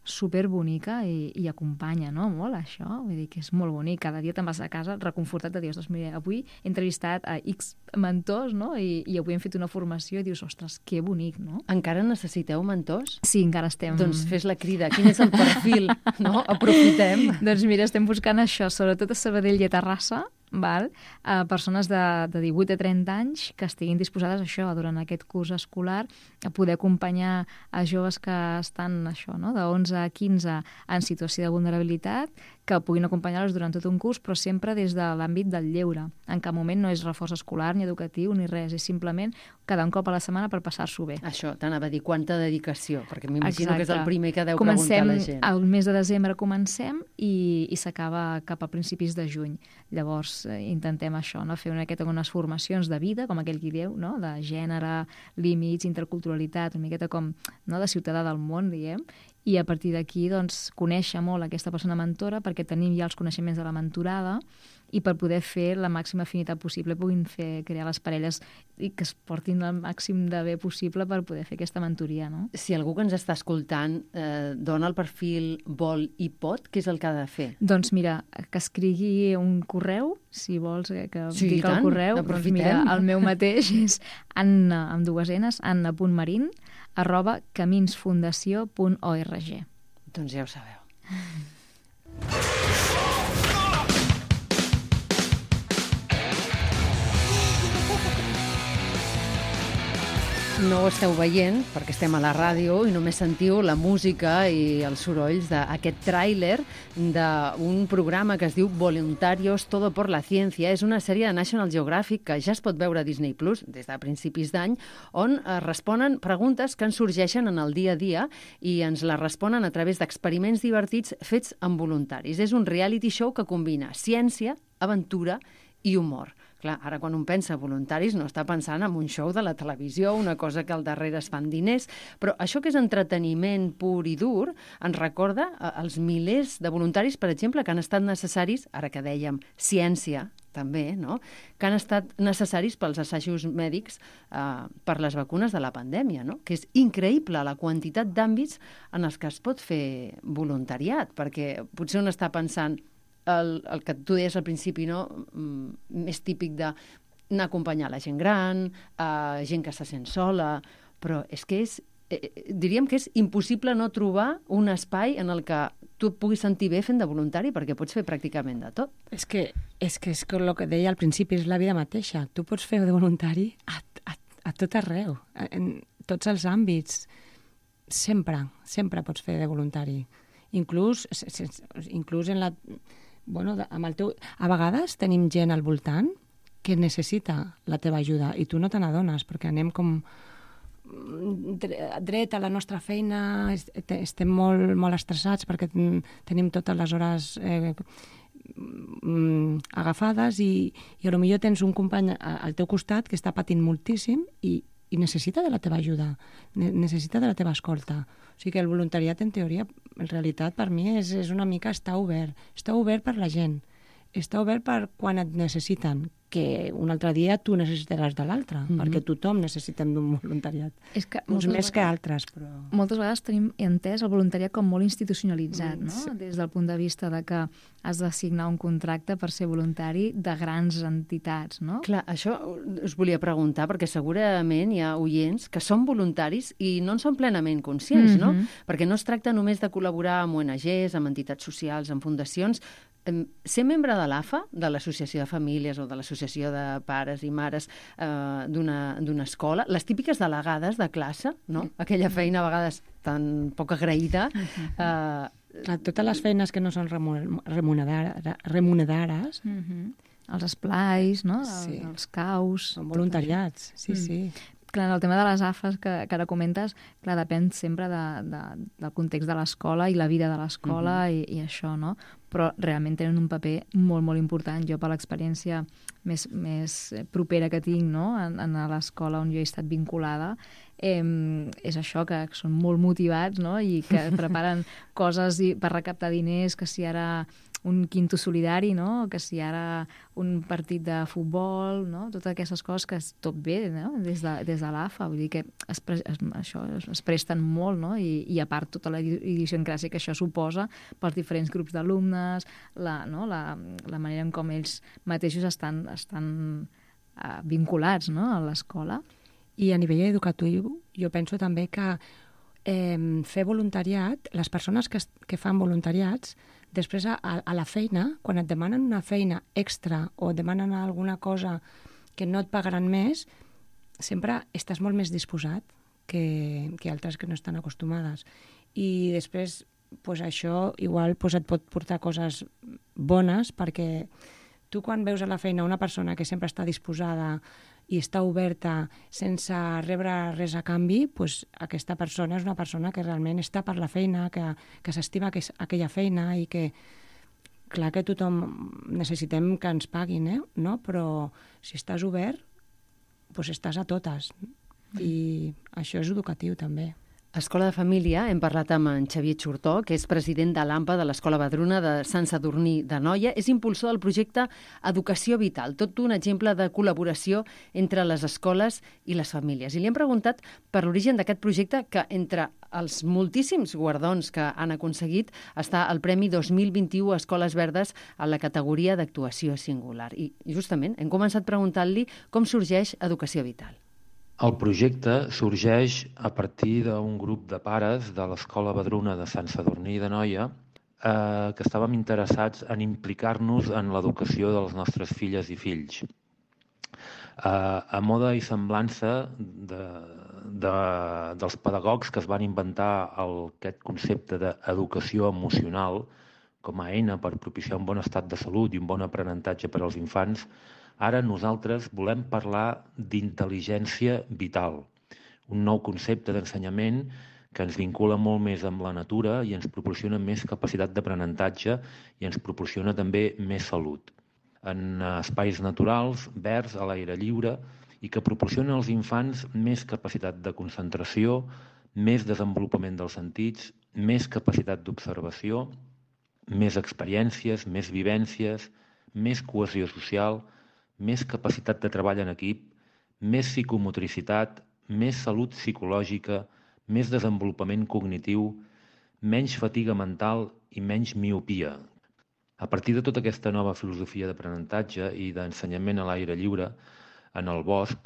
superbonica i, i acompanya, no?, molt això. Vull dir que és molt bonic. Cada dia te'n vas a casa reconfortat de dir, ostres, mira, avui he entrevistat a X mentors, no?, I, i avui hem fet una formació i dius, ostres, que bonic, no? Encara necessiteu mentors? Sí, encara estem... Doncs fes la crida. Quin és el perfil, no? Aprofitem. Doncs mira, estem buscant això, sobretot a Sabadell i a Terrassa, val? A persones de, de divuit a trenta anys que estiguin disposades a això, durant aquest curs escolar, a poder acompanyar a joves que estan això, no?, de onze a quinze en situació de vulnerabilitat, que puguin acompanyar-los durant tot un curs, però sempre des de l'àmbit del lleure. En cap moment no és reforç escolar ni educatiu ni res, és simplement cada un cop a la setmana per passar-s'ho bé. Això, t'anava a dir, quanta dedicació, perquè m'imagino que és el primer que deu comencem, preguntar la gent. Al mes de desembre comencem i, i s'acaba cap a principis de juny. Llavors eh, intentem això, no?, fer una miqueta unes formacions de vida, com aquell qui diu, no?, de gènere, límits, interculturalitat, una miqueta com, no?, de ciutadà del món, diguem, i a partir d'aquí, doncs, conèixer molt aquesta persona mentora, perquè tenim ja els coneixements de la mentorada, i per poder fer la màxima afinitat possible, puguin fer, crear les parelles i que es portin el màxim de bé possible per poder fer aquesta mentoria, no? Si algú que ens està escoltant eh, dona el perfil vol i pot, què és el que ha de fer? Doncs mira, que escrigui un correu, si vols eh, que sí, dic el correu, doncs mira, el meu mateix és Anna, amb dues enes, anna.marin, arroba caminsfundació punt org. Doncs ja ho sabeu. No ho esteu veient, perquè estem a la ràdio i només sentiu la música i els sorolls d'aquest tràiler d'un programa que es diu Voluntarios Todo por la Ciencia. És una sèrie de National Geographic que ja es pot veure a Disney Plus des de principis d'any, on es responen preguntes que ens sorgeixen en el dia a dia i ens les responen a través d'experiments divertits fets amb voluntaris. És un reality show que combina ciència, aventura i humor. Clar, ara quan un pensa voluntaris no està pensant en un show de la televisió, una cosa que al darrere es fan diners, però això que és entreteniment pur i dur ens recorda els milers de voluntaris, per exemple, que han estat necessaris, ara que dèiem ciència, també, no? Que han estat necessaris pels assajos mèdics eh, per les vacunes de la pandèmia, no? Que és increïble la quantitat d'àmbits en els que es pot fer voluntariat, perquè potser un està pensant el, el que tu deies al principi, no? Més típic de anar a acompanyar la gent gran, eh, gent que se sent sola, però és que és Eh, diríem que és impossible no trobar un espai en el que tu et puguis sentir bé fent de voluntari, perquè pots fer pràcticament de tot. És que és que és que el que deia al principi, és la vida mateixa. Tu pots fer de voluntari a, a, a tot arreu, en tots els àmbits. Sempre, sempre pots fer de voluntari. Inclús, inclús en la... Bueno, amb el teu... A vegades tenim gent al voltant que necessita la teva ajuda i tu no te n'adones, perquè anem com... dret a la nostra feina, estem molt, molt estressats perquè tenim totes les hores eh, agafades i, i potser tens un company al teu costat que està patint moltíssim i, i necessita de la teva ajuda, necessita de la teva escolta. O sigui que el voluntariat, en teoria, en realitat, per mi és, és una mica estar obert. Està obert per la gent. Està obert per quan et necessiten, que un altre dia tu necessitaràs de l'altre, mm-hmm. perquè tothom necessitem d'un voluntariat. És que uns més vegades, que altres, però... Moltes vegades tenim entès el voluntariat com molt institucionalitzat, mm, no? Sí. Des del punt de vista de que has de signar un contracte per ser voluntari de grans entitats, no? Clar, això us volia preguntar, perquè segurament hi ha oients que són voluntaris i no en són plenament conscients, mm-hmm. no? Perquè no es tracta només de col·laborar amb O N Ges, amb entitats socials, amb fundacions. Ser membre de l'A F A, de l'Associació de Famílies o de l'Associació de Pares i Mares eh, d'una escola, les típiques delegades de classe, no? Aquella feina a vegades tan poc agraïda. Eh, Totes les feines que no són remunerades, remunerades mm-hmm. els esplais, no? Sí. Els caus... Són voluntariats, sí, mm. sí. Clar, el tema de les A F As que, que ara comentes, clar, depèn sempre de, de, del context de l'escola i la vida de l'escola mm-hmm. i, i això, no? Però realment tenen un paper molt, molt important. Jo, per l'experiència més, més propera que tinc, no? en, en l'escola on jo he estat vinculada, eh, és això, que són molt motivats, no? I que preparen coses per recaptar diners, que si ara un quinto solidari, no? Que si ara un partit de futbol, no? Totes aquestes coses que tot bé, no? Des de, des de l'A F A, vull dir que es, pre es, això es, es presten molt, no? I, i a part tota la idiosincràsia que això suposa pels diferents grups d'alumnes, la, no? la, la manera en com ells mateixos estan, estan uh, vinculats, no? A l'escola. I a nivell educatiu jo penso també que eh, fer voluntariat, les persones que, que fan voluntariats, després a, a la feina, quan et demanen una feina extra o et demanen alguna cosa que no et pagaran més, sempre estàs molt més disposat que, que altres que no estan acostumades. I després pues, això igual pues, et pot portar coses bones, perquè tu quan veus a la feina una persona que sempre està disposada i està oberta sense rebre res a canvi, pues, aquesta persona és una persona que realment està per la feina, que, que s'estima que aquella feina i que, clar que tothom necessitem que ens paguin, eh? No? Però si estàs obert, pues estàs a totes. I això és educatiu també. Escola de Família, hem parlat amb en Xavier Xurtó, que és president de l'A M P A de l'Escola Vedruna de Sant Sadurní d'Anoia, és impulsor del projecte Educació Vital, tot un exemple de col·laboració entre les escoles i les famílies. I li hem preguntat per l'origen d'aquest projecte, que entre els moltíssims guardons que han aconseguit està el Premi dos mil vint-i-u Escoles Verdes a la categoria d'actuació singular. I justament hem començat preguntant-li com sorgeix Educació Vital. El projecte sorgeix a partir d'un grup de pares de l'Escola Vedruna de Sant Sadurní d'Anoia eh, que estàvem interessats en implicar-nos en l'educació de les nostres filles i fills. Eh, a moda i semblança de, de, dels pedagogs que es van inventar el, aquest concepte d'educació emocional com a eina per propiciar un bon estat de salut i un bon aprenentatge per als infants, ara nosaltres volem parlar d'intel·ligència vital, un nou concepte d'ensenyament que ens vincula molt més amb la natura i ens proporciona més capacitat d'aprenentatge i ens proporciona també més salut. en espais naturals, verds, a l'aire lliure, i que proporcionen als infants més capacitat de concentració, més desenvolupament dels sentits, més capacitat d'observació, més experiències, més vivències, més cohesió social, més capacitat de treball en equip, més psicomotricitat, més salut psicològica, més desenvolupament cognitiu, menys fatiga mental i menys miopia. A partir de tota aquesta nova filosofia d'aprenentatge i d'ensenyament a l'aire lliure, en el bosc,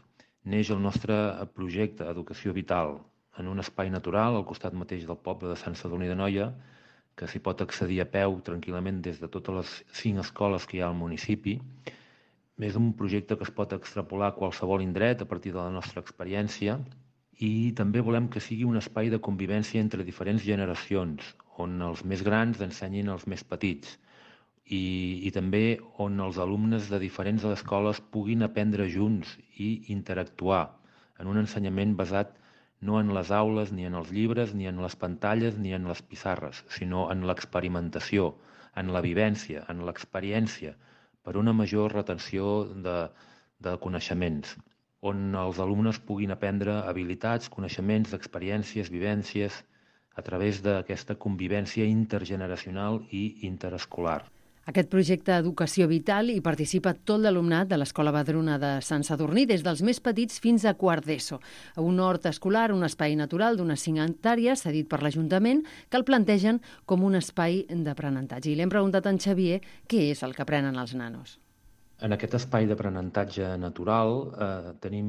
neix el nostre projecte Educació Vital, en un espai natural al costat mateix del poble de Sant Sadurní d'Anoia, que s'hi pot accedir a peu tranquil·lament des de totes les cinc escoles que hi ha al municipi. És un projecte que es pot extrapolar a qualsevol indret a partir de la nostra experiència i també volem que sigui un espai de convivència entre diferents generacions, on els més grans ensenyin als més petits i, i també on els alumnes de diferents escoles puguin aprendre junts i interactuar en un ensenyament basat no en les aules, ni en els llibres, ni en les pantalles, ni en les pissarres, sinó en l'experimentació, en la vivència, en l'experiència, per una major retenció de, de coneixements, on els alumnes puguin aprendre habilitats, coneixements, experiències, vivències, a través d'aquesta convivència intergeneracional i interescolar. Aquest projecte Educació Vital hi participa tot l'alumnat de l'Escola Vedruna de Sant Sadurní, des dels més petits fins a quart d'ESO. Un hort escolar, un espai natural d'unes cinc hectàrees, cedit per l'Ajuntament, que el plantegen com un espai d'aprenentatge. I li hem preguntat a en Xavier què és el que aprenen els nanos. En aquest espai d'aprenentatge natural eh, tenim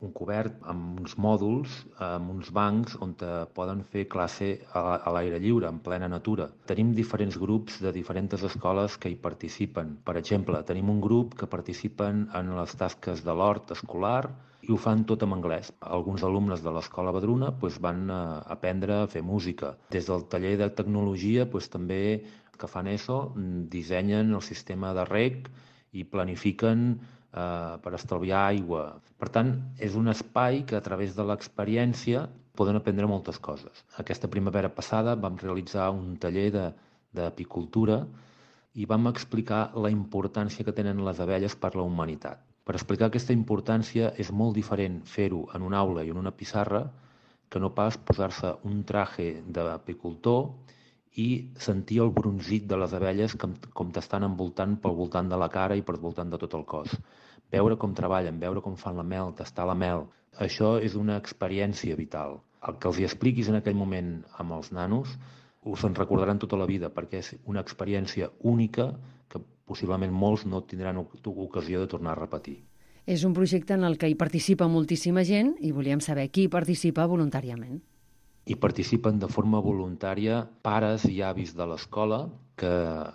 un cobert amb uns mòduls, amb uns bancs on poden fer classe a, a l'aire lliure, en plena natura. Tenim diferents grups de diferents escoles que hi participen. Per exemple, tenim un grup que participen en les tasques de l'hort escolar i ho fan tot en anglès. Alguns alumnes de l'Escola Vedruna doncs, van a aprendre a fer música. Des del taller de tecnologia doncs, també que fan ESO dissenyen el sistema de reg i planifiquen eh, per estalviar aigua. Per tant, és un espai que a través de l'experiència poden aprendre moltes coses. Aquesta primavera passada vam realitzar un taller d'apicultura i vam explicar la importància que tenen les abelles per la humanitat. Per explicar aquesta importància és molt diferent fer-ho en una aula i en una pissarra que no pas posar-se un traje d'apicultor i sentir el bronzit de les abelles com, com t'estan envoltant pel voltant de la cara i per voltant de tot el cos. Veure com treballen, veure com fan la mel, tastar la mel. Això és una experiència vital. El que els hi expliquis en aquell moment amb els nanos us en recordaran tota la vida perquè és una experiència única que possiblement molts no tindran ocasió de tornar a repetir. És un projecte en el que hi participa moltíssima gent i volíem saber qui participa voluntàriament. Hi participen de forma voluntària pares i avis de l'escola que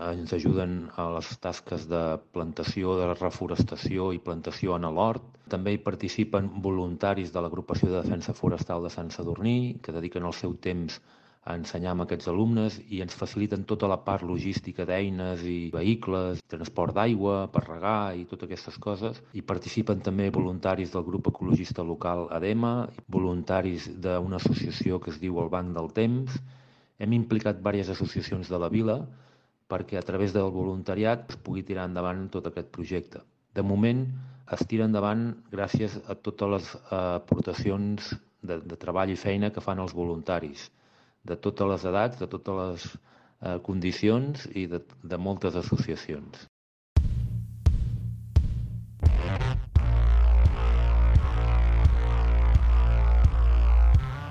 ens ajuden a les tasques de plantació, de reforestació i plantació en l'hort. També hi participen voluntaris de l'Agrupació de Defensa Forestal de Sant Sadurní, que dediquen el seu temps a ensenyar amb aquests alumnes i ens faciliten tota la part logística d'eines i vehicles, transport d'aigua, per regar i totes aquestes coses. Hi participen també voluntaris del grup ecologista local ADEMA, voluntaris d'una associació que es diu el Banc del Temps. Hem implicat diverses associacions de la vila perquè a través del voluntariat es pugui tirar endavant tot aquest projecte. De moment es tira endavant gràcies a totes les aportacions de, de treball i feina que fan els voluntaris, de totes les edats, de totes les eh, condicions i de, de moltes associacions.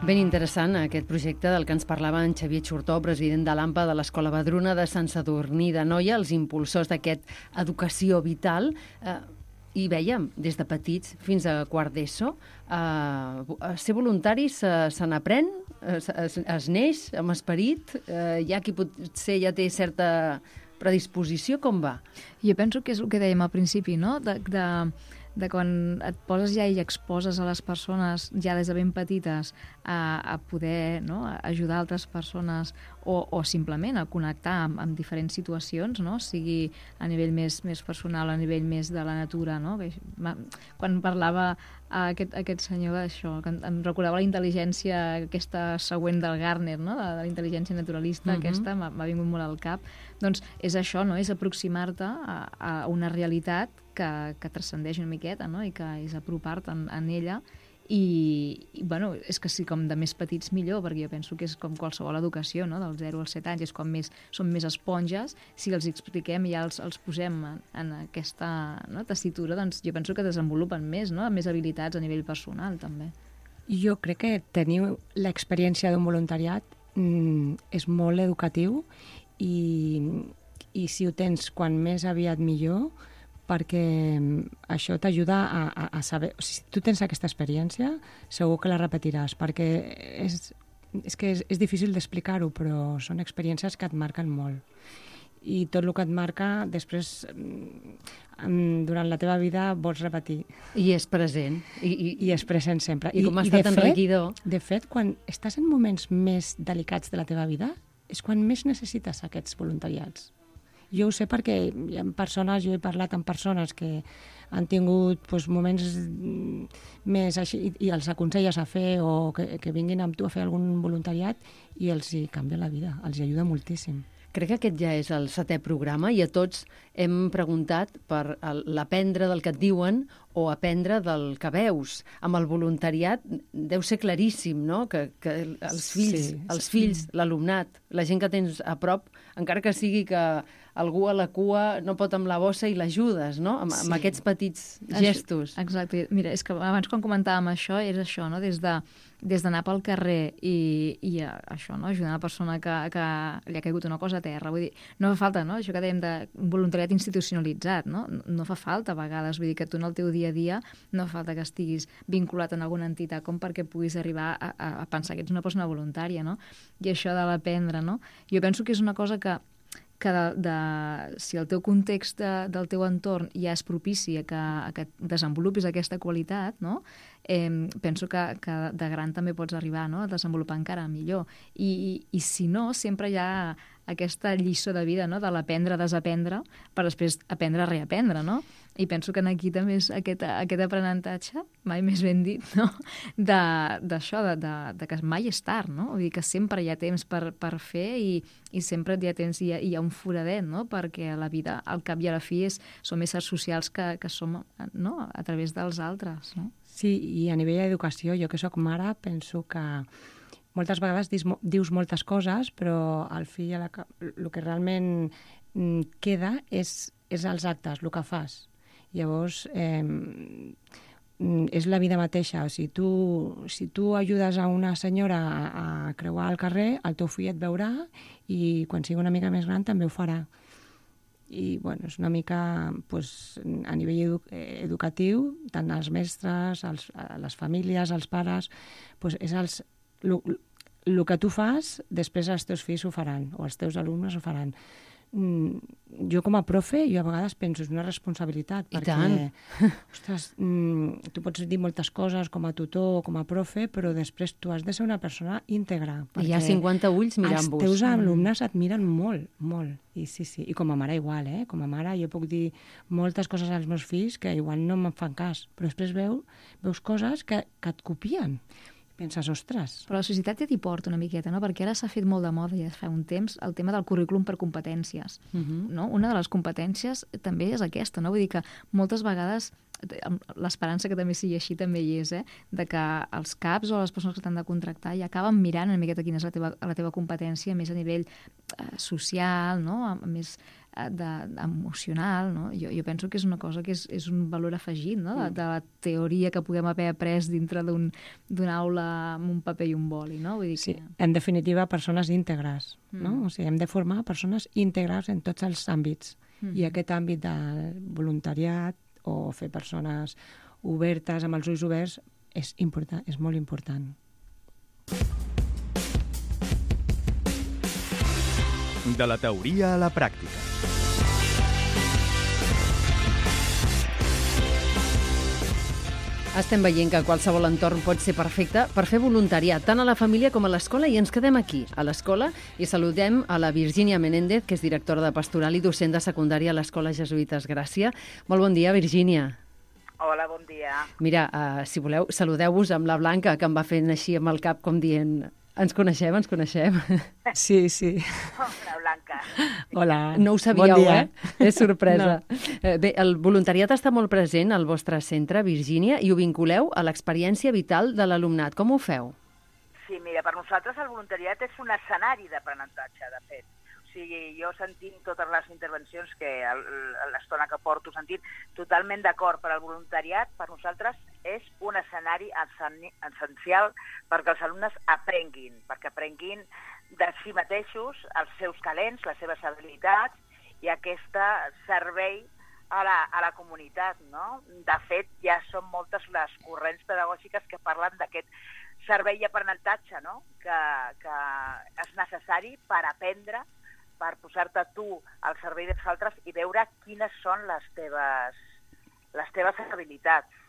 Ben interessant aquest projecte del que ens parlava en Xavier Xurtó, president de l'AMPA de l'Escola Vedruna de Sant Sadurní d'Anoia, els impulsors d'aquest Educació Vital. Eh, I vèiem, des de petits fins a quart d'ESO, eh, ser voluntari se, se n'aprèn, es, es, es neix amb esperit, eh, hi ha qui potser ja té certa predisposició, com va? Jo penso que és el que dèiem al principi, no? De, de, de quan et poses ja i exposes a les persones ja des de ben petites a, a poder, no? A ajudar altres persones o, o simplement a connectar amb, amb diferents situacions, no? Sigui a nivell més, més personal, a nivell més de la natura, no? Quan parlava aquest, aquest senyor d'això, que em recordava la intel·ligència aquesta següent del Gardner, no? De, de la intel·ligència naturalista, uh-huh. aquesta m'ha vingut molt al cap. Doncs és això, no? És aproximar-te a, a una realitat que, que transcendeix una miqueta, no? I que és apropar-te en, en ella. I, i bueno, és que sí, com de més petits millor, perquè jo penso que és com qualsevol educació, no? Del zero als set anys, és com més, són més esponges, si els expliquem i ja els, els posem en, en aquesta, no? Tessitura, doncs jo penso que desenvolupen més, no? Més habilitats a nivell personal, també. Jo crec que tenir l'experiència d'un voluntariat mm, és molt educatiu i, i si ho tens quan més aviat millor, perquè això t'ajuda a, a, a saber... O sigui, si tu tens aquesta experiència, segur que la repetiràs, perquè és, és que és, és difícil d'explicar-ho, però són experiències que et marquen molt. I tot el que et marca, després, durant la teva vida, vols repetir. I és present. I, i, I és present sempre. I, i com ha estat enriquidor. De fet, quan estàs en moments més delicats de la teva vida, és quan més necessites aquests voluntariats. Jo ho sé perquè hi ha persones, jo he parlat amb persones que han tingut doncs, moments més així i, i els aconselles a fer o que, que vinguin amb tu a fer algun voluntariat i els hi canvia la vida, els hi ajuda moltíssim. Crec que aquest ja és el setè programa i a tots hem preguntat per l'aprendre del que et diuen o aprendre del que veus. Amb el voluntariat deu ser claríssim, no?, que, que els fills, sí, els fills, l'alumnat, la gent que tens a prop, encara que sigui que algú a la cua no pot amb la bossa i l'ajudes, no?, amb, sí. amb aquests petits gestos. Exacte. Mira, és que abans quan comentàvem això, és això, no?, des de des d'anar pel carrer i, i això, no?, ajudar una persona que, que li ha caigut una cosa a terra. Vull dir, no fa falta, no?, això que dèiem de voluntariat institucionalitzat, no? No fa falta a vegades, vull dir que tu en el teu dia a dia no fa falta que estiguis vinculat en alguna entitat com perquè puguis arribar a, a, a pensar que ets una persona voluntària, no? I això de l'aprendre, no? Jo penso que és una cosa que que de, de, si el teu context de, del teu entorn ja és propici a que, a que desenvolupis aquesta qualitat, no? eh, penso que, que de gran també pots arribar, no?, a desenvolupar encara millor. I, i, i si no, sempre hi ha aquesta lliçó de vida, no?, de l'aprendre a desaprendre per després aprendre a reaprendre, no? I penso que aquí també és aquest, aquest aprenentatge, mai més ben dit, no?, d'això, de, de, de, de que mai és tard, no? Vull dir que sempre hi ha temps per, per fer i, i sempre hi ha temps, hi ha, hi ha un foradet, no?, perquè la vida, al cap i a la fi, és, som éssers socials que, que som, no?, a través dels altres, no? Sí, i a nivell d'educació, jo que sóc mare, penso que moltes vegades dius, dius moltes coses, però al fi el que realment queda és, és els actes, el que fas. Llavors, eh, és la vida mateixa. O sigui, tu, si tu ajudes a una senyora a, a creuar el carrer, el teu fill et veurà i quan sigui una mica més gran també ho farà. I bueno, és una mica pues, a nivell edu educatiu, tant els mestres, els, les famílies, els pares, pues, és els, el que tu fas, després els teus fills ho faran, o els teus alumnes ho faran. Mm, jo com a profe, jo a vegades penso, és una responsabilitat, I perquè tant. Ostres, mm, tu pots dir moltes coses com a tutor o com a profe, però després tu has de ser una persona íntegra. Hi ha cinquanta ulls mirant-vos. Els teus alumnes et miren molt, molt. I sí, sí. I com a mare igual, eh? Com a mare jo puc dir moltes coses als meus fills que igual no me'n fan cas, però després veu, veus coses que, que et copien. Penses, ostres... Però la societat ja t'hi porta una miqueta, no? Perquè ara s'ha fet molt de moda ja fa un temps el tema del currículum per competències. Uh-huh. No? Una de les competències també és aquesta, no? Vull dir que moltes vegades l'esperança que també sigui així també hi és, eh? De que els caps o les persones que t'han de contractar ja acaben mirant una miqueta quina és la teva, la teva competència més a nivell eh, social, no? A, a més de, emocional, no? Jo, jo penso que és una cosa que és, és un valor afegit, no? De, de la teoria que puguem haver après dintre d'un, d'una aula amb un paper i un boli, no? Vull dir que... Sí, en definitiva, persones íntegres, mm. no? O sigui, hem de formar persones íntegres en tots els àmbits. Mm. I aquest àmbit del voluntariat o fer persones obertes, amb els ulls oberts, és important, és molt important. De la teoria a la pràctica. Estem veient que qualsevol entorn pot ser perfecte per fer voluntariat, tant a la família com a l'escola, i ens quedem aquí, a l'escola, i saludem a la Virgínia Menéndez, que és directora de Pastoral i docent de secundària a l'Escola Jesuïtes Gràcia. Molt bon dia, Virgínia. Hola, bon dia. Mira, uh, si voleu, saludeu-vos amb la Blanca, que em va fent així amb el cap, com dient... Ens coneixem, ens coneixem. Sí, sí. Hola, Blanca. Hola. No ho sabíeu, bon eh? És sorpresa. No. Bé, el voluntariat està molt present al vostre centre, Virgínia, i ho vinculeu a l'experiència vital de l'alumnat. Com ho feu? Sí, mira, per nosaltres el voluntariat és un escenari d'aprenentatge, de fet. O sigui, jo sentint totes les intervencions que l'estona que porto sentint, totalment d'acord, per al voluntariat per nosaltres és un escenari essencial perquè els alumnes aprenguin, perquè aprenguin de si mateixos els seus talents, les seves habilitats i aquest servei a la, a la comunitat, no? De fet, ja són moltes les corrents pedagògiques que parlen d'aquest servei i aprenentatge, no? Que, que és necessari per aprendre, per posar-te tu al servei dels altres i veure quines són les teves, les teves habilitats.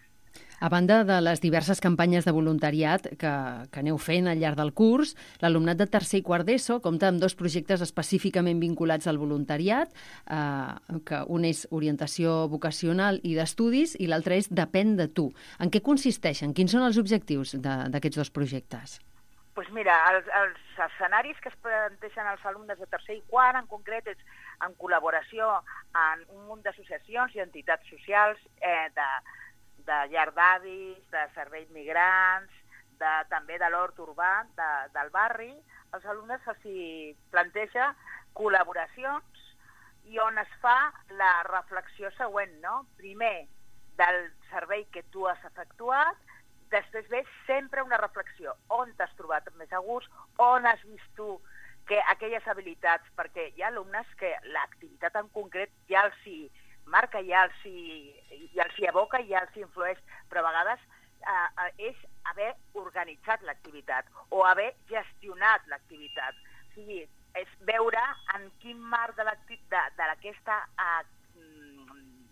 A banda de les diverses campanyes de voluntariat que, que aneu fent al llarg del curs, l'alumnat de tercer i quart d'ESO compta amb dos projectes específicament vinculats al voluntariat, eh, que un és orientació vocacional i d'estudis i l'altre és Depèn de tu. En què consisteixen? Quins són els objectius d'aquests dos projectes? Doncs mira, els, els escenaris que es planteixen als alumnes de tercer i quart, en concret, és en col·laboració amb un munt d'associacions i entitats socials, eh, de, de llar d'avis, de serveis migrants, de, també de l'hort urbà de, del barri. Els alumnes se'ls planteja col·laboracions i on es fa la reflexió següent, no? Primer, del servei que tu has efectuat, després ve sempre una reflexió. On t'has trobat més a gust? On has vist tu que aquelles habilitats? Perquè hi ha alumnes que l'activitat en concret ja els hi marca, ja els hi, ja els hi aboca, ja els hi influeix, però a vegades eh, és haver organitzat l'activitat o haver gestionat l'activitat. O sigui, és veure en quin marc d'aquesta eh,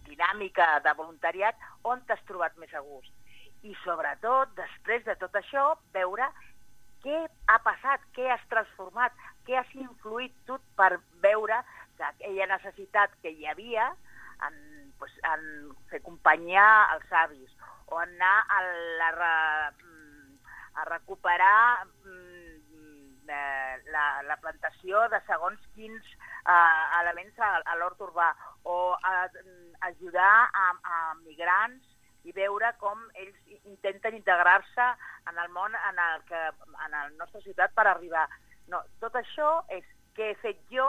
dinàmica de voluntariat on t'has trobat més a gust. I sobretot, després de tot això, veure què ha passat, què has transformat, què has influït tu per veure que aquella necessitat que hi havia en, pues, en fer companyia als avis o anar a, la, a recuperar la, la plantació de segons quins uh, elements a, a l'hort urbà o a, a ajudar a, a migrants i veure com ells intenten integrar-se en el món en el que en la nostra ciutat per arribar. No, tot això és què he fet jo,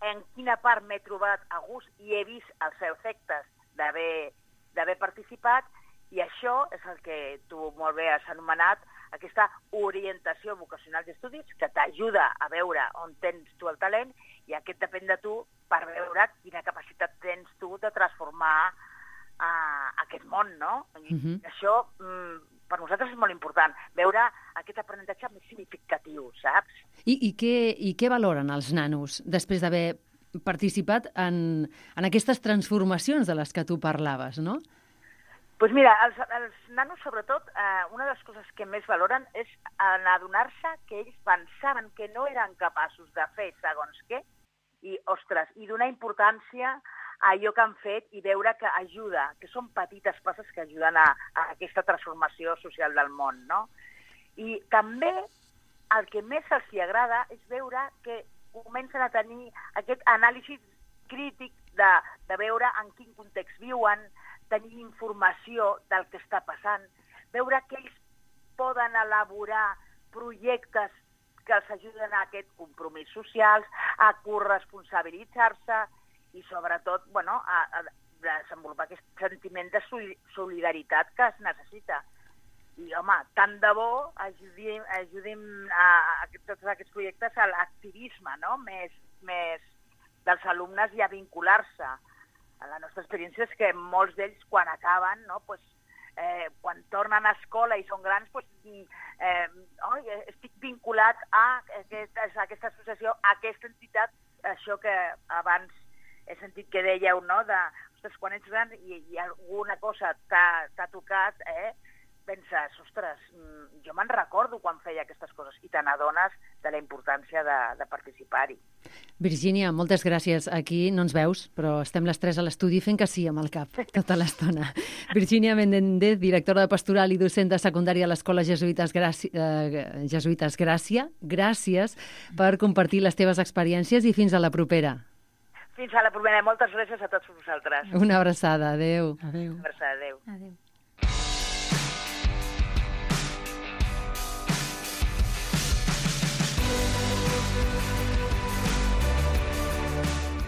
en quina part m'he trobat a gust i he vist els efectes d'haver participat, i això és el que tu molt bé has anomenat aquesta orientació vocacional d'estudis que t'ajuda a veure on tens tu el talent i aquest depèn de tu per veure quina capacitat tens tu de transformar a aquest món, no? I uh-huh. Això mm, per nosaltres és molt important, veure aquest aprenentatge més significatiu, saps? I, i, què, i què valoren els nanos després d'haver participat en, en aquestes transformacions de les que tu parlaves, no? Doncs pues mira, els, els nanos, sobretot, eh, una de les coses que més valoren és en adonar-se que ells pensaven que no eren capaços de fer segons què, i, ostres, i donar importància a allò que han fet i veure que ajuda, que són petites passes que ajuden a, a aquesta transformació social del món, no? I també el que més els hi agrada és veure que comencen a tenir aquest anàlisi crític de, de veure en quin context viuen, tenir informació del que està passant, veure que ells poden elaborar projectes que els ajuden a aquest compromís socials, a corresponsabilitzar-se i sobretot bueno, a, a desenvolupar aquest sentiment de solidaritat que es necessita. I, home, tant de bo ajudim, ajudim a, a tots aquests projectes a l'activisme, no? més, més dels alumnes i a vincular-se. La nostra experiència és que molts d'ells, quan acaben, no? pues, eh, quan tornen a escola i són grans, pues, eh, oh, estic vinculat a, aquest, a aquesta associació, a aquesta entitat, això que abans he sentit que dèieu, no? De, o ostres, quan ets gran i, i alguna cosa t'ha tocat, eh, penses, ostres, jo me'n recordo quan feia aquestes coses i te n'adones de la importància de, de participar-hi. Virgínia, moltes gràcies. Aquí no ens veus, però estem les tres a l'estudi fent que sí amb el cap tota l'estona. Virgínia Menéndez, directora de Pastoral i docent de secundària a l'Escola Jesuïtes Gràcia, eh, Jesuïtes Gràcia, gràcies per compartir les teves experiències i fins a la propera. Fins a la propera. Moltes gràcies a tots vosaltres. Una abraçada. Adéu. Adéu. Una abraçada. Adéu. Adéu.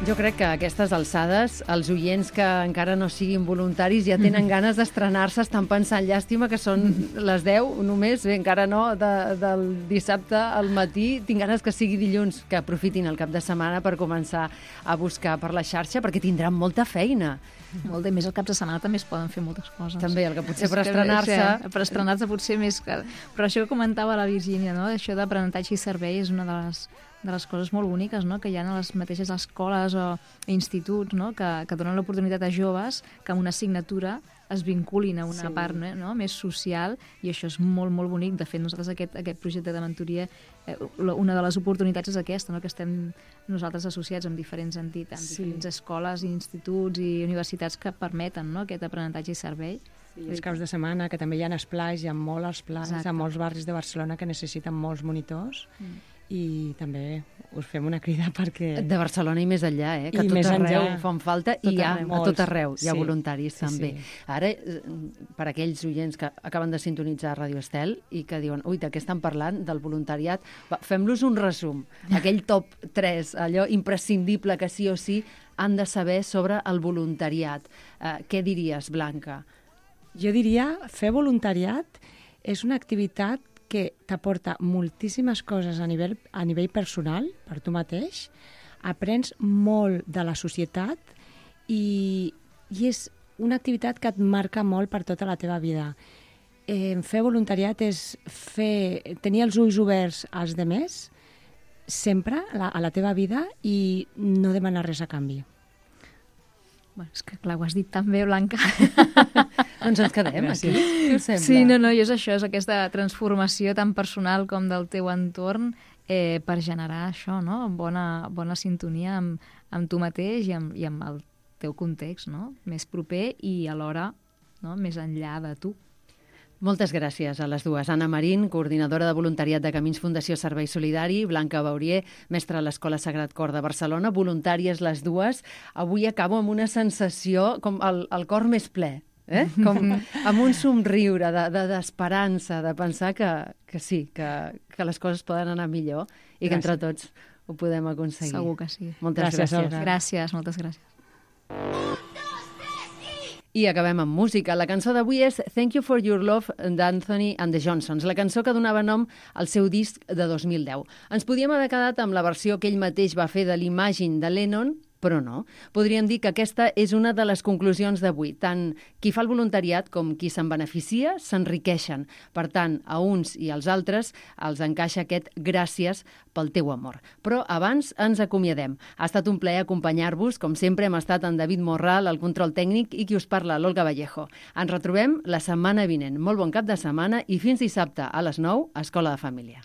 Jo crec que a aquestes alçades els oients que encara no siguin voluntaris ja tenen ganes d'estrenar-se, estan pensant, llàstima que són les deu només, bé, encara no, de, del dissabte al matí, tinc ganes que sigui dilluns, que aprofitin el cap de setmana per començar a buscar per la xarxa, perquè tindran molta feina. Molt, i més el cap de setmana també es poden fer moltes coses. També, el que potser per estrenar-se... Sí, per estrenar-se potser més... Que... Però això que comentava la Virgínia, no? Això d'aprenentatge i servei és una de les, de les coses molt boniques, no? Que hi ha a les mateixes escoles o instituts, no? Que, que donen l'oportunitat a joves que amb una assignatura es vinculin a una sí. part no? més social, i això és molt, molt bonic. De fet, nosaltres aquest, aquest projecte de mentoria, eh, una de les oportunitats és aquesta, no? Que estem nosaltres associats amb diferents entitats, amb sí. diferents escoles, instituts i universitats que permeten no? aquest aprenentatge i servei. Sí, els caps de setmana, que també hi ha esplais, hi ha molt esplais, a molts barris de Barcelona que necessiten molts monitors, mm. i també us fem una crida perquè... De Barcelona i més enllà, eh? Que I tot més arreu enllà. fan falta i hi ha, a tot arreu hi ha sí. voluntaris sí, també. Sí. Ara, per aquells oients que acaben de sintonitzar Radio Estel i que diuen, ui, de què estan parlant? Del voluntariat. Va, fem-los un resum. Aquell top tres, allò imprescindible que sí o sí han de saber sobre el voluntariat. Uh, què diries, Blanca? Jo diria, fer voluntariat és una activitat que t'aporta moltíssimes coses a nivell, a nivell personal, per tu mateix, aprens molt de la societat i, i és una activitat que et marca molt per tota la teva vida. Eh, fer voluntariat és fer, tenir els ulls oberts als demés sempre a la, a la teva vida i no demanar res a canvi. Bueno, és que clar, ho has dit tan bé, Blanca. Doncs ens quedem aquí, què us sembla? Sí, no, no, i és això, és aquesta transformació tan personal com del teu entorn eh, per generar això, no? Bona, bona sintonia amb, amb tu mateix i amb, i amb el teu context, no? Més proper i alhora no? més enllà de tu. Moltes gràcies a les dues. Anna Marín, coordinadora de voluntariat de Camins Fundació Servei Solidari, Blanca Baurier, mestra a l'Escola Sagrat Cor de Barcelona, voluntàries les dues. Avui acabo amb una sensació com el, el cor més ple, eh? Com amb un somriure d'esperança, de, de, de pensar que, que sí, que, que les coses poden anar millor i gràcies. Que entre tots ho podem aconseguir. Segur que sí. Moltes gràcies. Gràcies, gràcies moltes gràcies. I acabem amb música. La cançó d'avui és Thank You For Your Love d'Anthony and the Johnsons, la cançó que donava nom al seu disc de dos mil deu. Ens podíem haver quedat amb la versió que ell mateix va fer de l'Imagine de Lennon, però no. Podríem dir que aquesta és una de les conclusions d'avui. Tant qui fa el voluntariat com qui se'n beneficia s'enriqueixen. Per tant, a uns i als altres els encaixa aquest gràcies pel teu amor. Però abans ens acomiadem. Ha estat un plaer acompanyar-vos. Com sempre hem estat en David Morral, el control tècnic, i qui us parla, l'Olga Vallejo. Ens retrobem la setmana vinent. Molt bon cap de setmana i fins dissabte a les nou, Escola de Família.